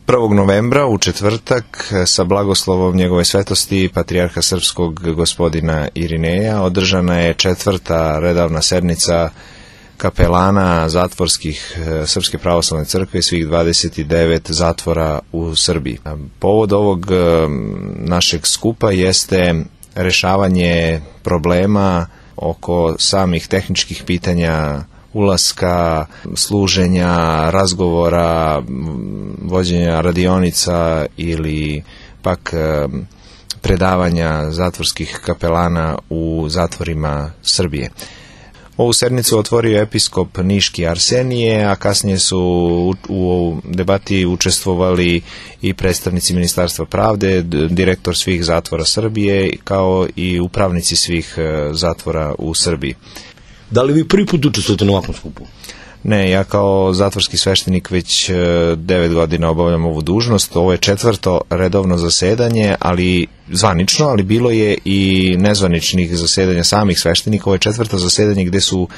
1. novembra u četvrtak sa blagoslovom njegove svetosti patrijarha srpskog gospodina Irineja održana je 4. redovna sednica kapelana zatvorskih Srpske pravoslavne crkve i svih 29 zatvora u Srbiji. Povod ovog našeg skupa jeste rešavanje problema oko samih tehničkih pitanja ulaska, služenja, razgovora, vođenja radionica ili pak predavanja zatvorskih kapelana u zatvorima Srbije. Ovu sednicu otvorio episkop Niški Arsenije, a kasnije su u debati učestvovali i predstavnici Ministarstva pravde, direktor svih zatvora Srbije, kao i upravnici svih zatvora u Srbiji. Da li vi prvi put učestvujete na ovakvom skupu? Ne, ja kao zatvorski sveštenik već 9 godina obavljam ovu dužnost. Ovo je 4. redovno zasedanje, ali zvanično, ali bilo je i nezvaničnih zasedanja samih sveštenika. Ovo je 4. zasedanje gde su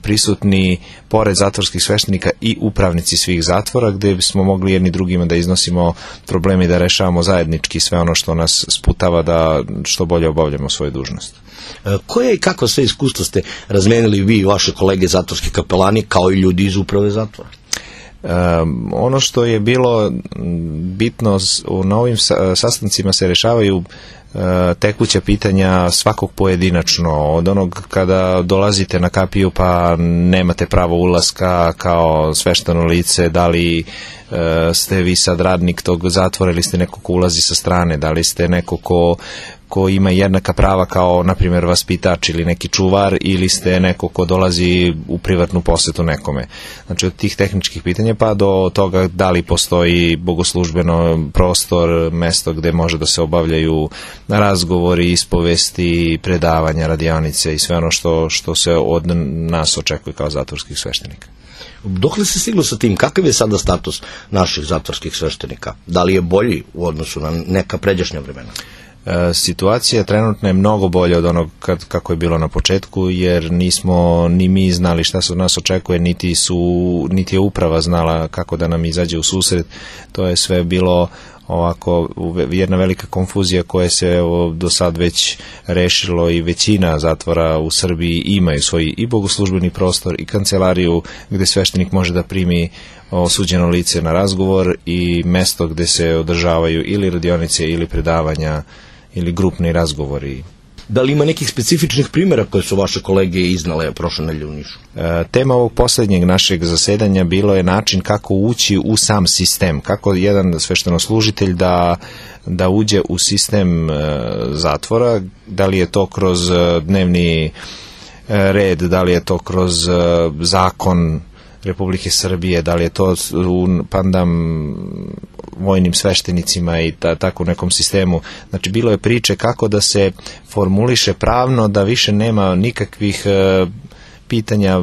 prisutni pored zatvorskih sveštenika i upravnici svih zatvora, gde smo mogli jedni drugima da iznosimo probleme i da rešavamo zajednički sve ono što nas sputava da što bolje obavljamo svoju dužnost. Koje i kako sve iskustva ste razmenili vi i vaše kolege zatvorski kapelani kao i ljudi iz uprave zatvora? Ono što je bilo bitno, na ovim sastancima se rešavaju tekuća pitanja svakog pojedinačno, od onog kada dolazite na kapiju pa nemate pravo ulaska kao svešteno lice, da li ste vi sad radnik tog zatvora ili ste neko ko ulazi sa strane, da li ste neko ko ima jednaka prava kao, na primjer, vaspitač ili neki čuvar, ili ste neko ko dolazi u privatnu posetu nekome. Znači, od tih tehničkih pitanja pa do toga da li postoji bogoslužbeno prostor, mesto gde može da se obavljaju razgovori, ispovesti, predavanja, radionice i sve ono što se od nas očekuje kao zatvorskih sveštenika. Dokle se stiglo sa tim? Kakav je sada status naših zatvorskih sveštenika? Da li je bolji u odnosu na neka pređašnja vremena? Situacija trenutno je mnogo bolja od onog kako je bilo na početku, jer nismo ni mi znali šta se od nas očekuje, niti je uprava znala kako da nam izađe u susret. To je sve bilo ovako jedna velika konfuzija koja se do sad već rešilo i većina zatvora u Srbiji imaju svoj i bogoslužbeni prostor i kancelariju gde sveštenik može da primi osuđeno lice na razgovor i mesto gde se održavaju ili radionice ili predavanja ili grupni razgovori. Da li ima nekih specifičnih primjera koje su vaše kolege iznale prošle nedelje u Nišu? Tema ovog posljednjeg našeg zasedanja bilo je način kako ući u sam sistem, kako jedan sveštenoslužitelj da uđe u sistem zatvora, da li je to kroz dnevni red, da li je to kroz zakon Republike Srbije, da li je to u pandam vojnim sveštenicima i tako u nekom sistemu. Znači, bilo je priče kako da se formuliše pravno, da više nema nikakvih pitanja,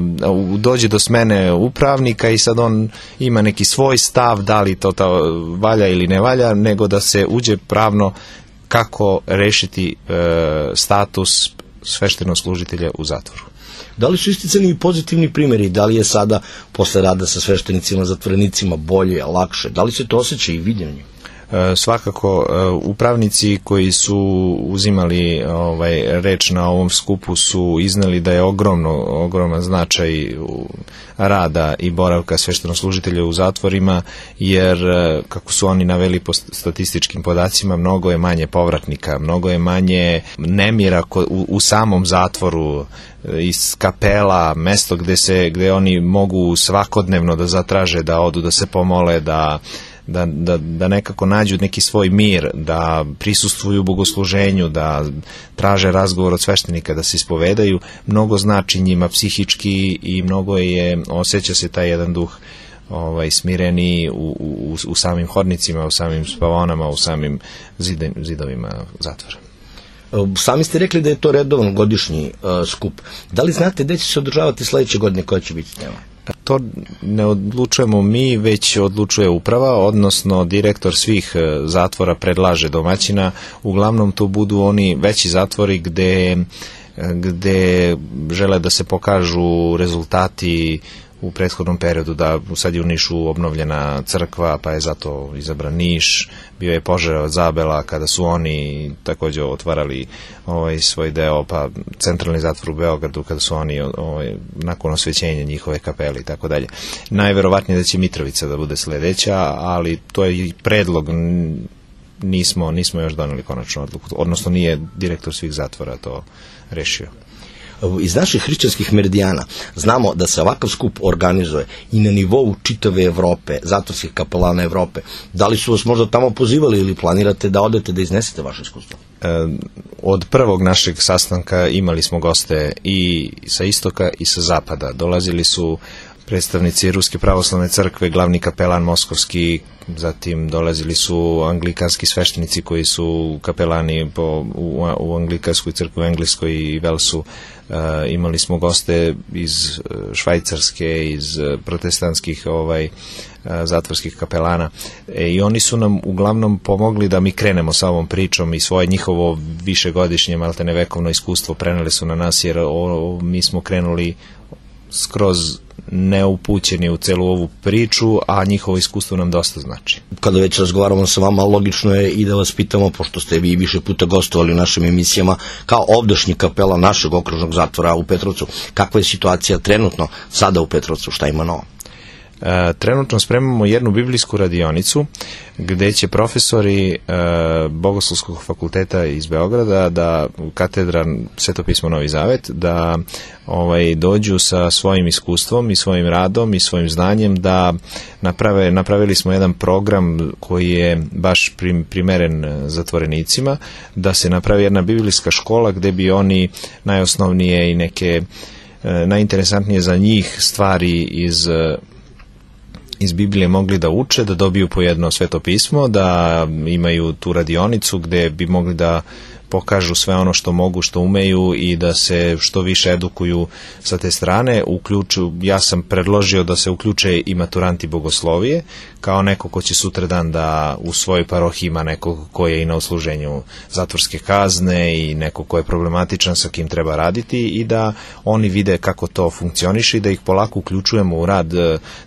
dođe do smene upravnika i sad on ima neki svoj stav, da li to valja ili ne valja, nego da se uđe pravno kako rešiti status sveštenoslužitelja u zatvoru. Da li su isticani i pozitivni primjeri? Da li je sada posle rada sa sveštenicima, zatvorenicima bolje, lakše? Da li se to osjeća i viđenje? Svakako, upravnici koji su uzimali reč na ovom skupu su izneli da je ogroman značaj rada i boravka sveštenoslužitelja u zatvorima, jer kako su oni naveli po statističkim podacima, mnogo je manje povratnika, mnogo je manje nemira u samom zatvoru, iz kapela, mesto gde oni mogu svakodnevno da zatraže, da odu, da se pomole, da nekako nađu neki svoj mir, da prisustvuju bogosluženju, da traže razgovor od sveštenika, da se ispovedaju, mnogo znači njima psihički i mnogo osjeća se taj jedan duh smireni u samim hodnicima, u samim spavaonama, u samim zidovima zatvora. Sami ste rekli da je to redovan godišnji skup. Da li znate gde će se održavati sledeće godine, koja će biti tema? To ne odlučujemo mi, već odlučuje uprava, odnosno direktor svih zatvora predlaže domaćina. Uglavnom to budu oni veći zatvori gde žele da se pokažu rezultati u prethodnom periodu, da sad je u Nišu obnovljena crkva, pa je zato izabran Niš, bio je požar od Zabela kada su oni takođe otvarali svoj deo, pa centralni zatvor u Beogradu kada su oni nakon osvećenja njihove kapele i tako dalje. Najverovatnije da će Mitrovica da bude sledeća, ali to je i predlog, nismo još doneli konačnu odluku, odnosno nije direktor svih zatvora to rešio. Iz naših hrišćanskih meridijana znamo da se ovakav skup organizuje i na nivou čitave Evrope, zatvorskih kapelana Evrope. Da li su vas možda tamo pozivali ili planirate da odete da iznesete vaše iskustvo? Od prvog našeg sastanka imali smo goste i sa istoka i sa zapada. Dolazili su predstavnici Ruske pravoslavne crkve, glavni kapelan moskovski, zatim dolazili su anglikanski sveštenici koji su kapelani u anglikanskoj crkvi u Engleskoj i Velsu. Imali smo goste iz Švajcarske, iz protestantskih zatvorskih kapelana i oni su nam uglavnom pomogli da mi krenemo sa ovom pričom i svoje njihovo višegodišnje maltene vekovno iskustvo preneli su na nas, jer mi smo krenuli skroz neupućeni u celu ovu priču, a njihovo iskustvo nam dosta znači. Kada već razgovaramo sa vama, logično je i da vas pitamo, pošto ste vi više puta gostovali u našim emisijama, kao ovdašnji kapela našeg okružnog zatvora u Petrovcu, kakva je situacija trenutno sada u Petrovcu, šta ima novo? Trenutno spremamo jednu biblijsku radionicu gde će profesori Bogoslovskog fakulteta iz Beograda, da katedra Svetopismo Novi Zavet, da dođu sa svojim iskustvom i svojim radom i svojim znanjem da napravili smo jedan program koji je baš primeren zatvorenicima, da se napravi jedna biblijska škola gde bi oni najosnovnije i neke najinteresantnije za njih stvari iz Biblije mogli da uče, da dobiju po jedno sveto pismo, da imaju tu radionicu gde bi mogli da pokažu sve ono što mogu, što umeju i da se što više edukuju sa te strane. Ja sam predložio da se uključe i maturanti bogoslovije, kao neko ko će sutradan da u svojoj parohiji ima nekog ko je i na odsluženju zatvorske kazne i neko ko je problematičan sa kim treba raditi i da oni vide kako to funkcioniše i da ih polako uključujemo u rad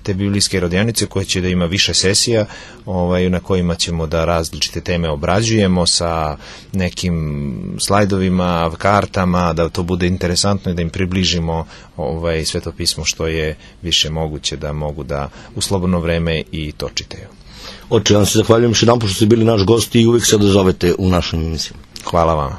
te biblijske radionice koje će da ima više sesija na kojima ćemo da različite teme obrađujemo sa nekim slajdovima, kartama, da to bude interesantno i da im približimo svetopismo što je više moguće da mogu da u slobodno vreme i to čitaju. Oče, vam se zahvaljujem još jedan što ste bili naš gost i uvijek se odazovete u našoj emisiji. Hvala vama.